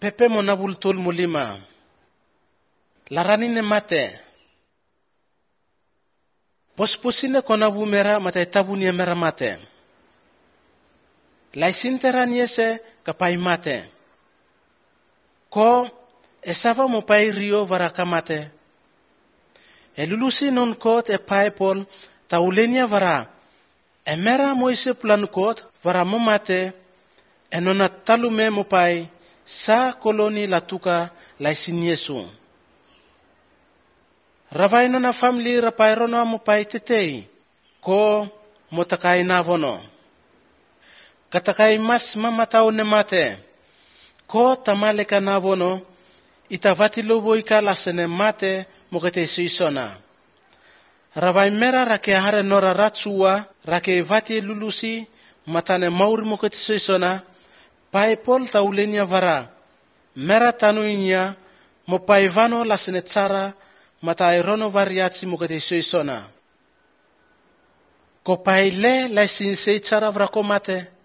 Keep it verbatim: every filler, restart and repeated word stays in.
Pepe mo nabultul mulima. Laranin mate. Pospusine konabu mera mate tabu ni mera mate. Laisintera niese kapai mate. Ko esava mo pai rio varaka mate. Elulusi non kot e pai pol taulenia vara. Emera moise plan kot vara mo mate. Enona talume mo pai sa koloni latuka laisin Yesu. Ravai nona family rapai rono mo pai tetei. Ko motakai navono. Katakai mas mamatao ne mate. Ko tamaleka navono. Itavati lobo ika lasene mate mokete suisona. Ravai mera rake hare nora ratsua. Rake vati lulusi matane mauri mokete suisona. Pai pol taulenia vara. Mera tanuinya mo pai vano lasene tsara. Mata rono variatsi mokete suisona. Ko pai le laisin sei tsara vrako mate.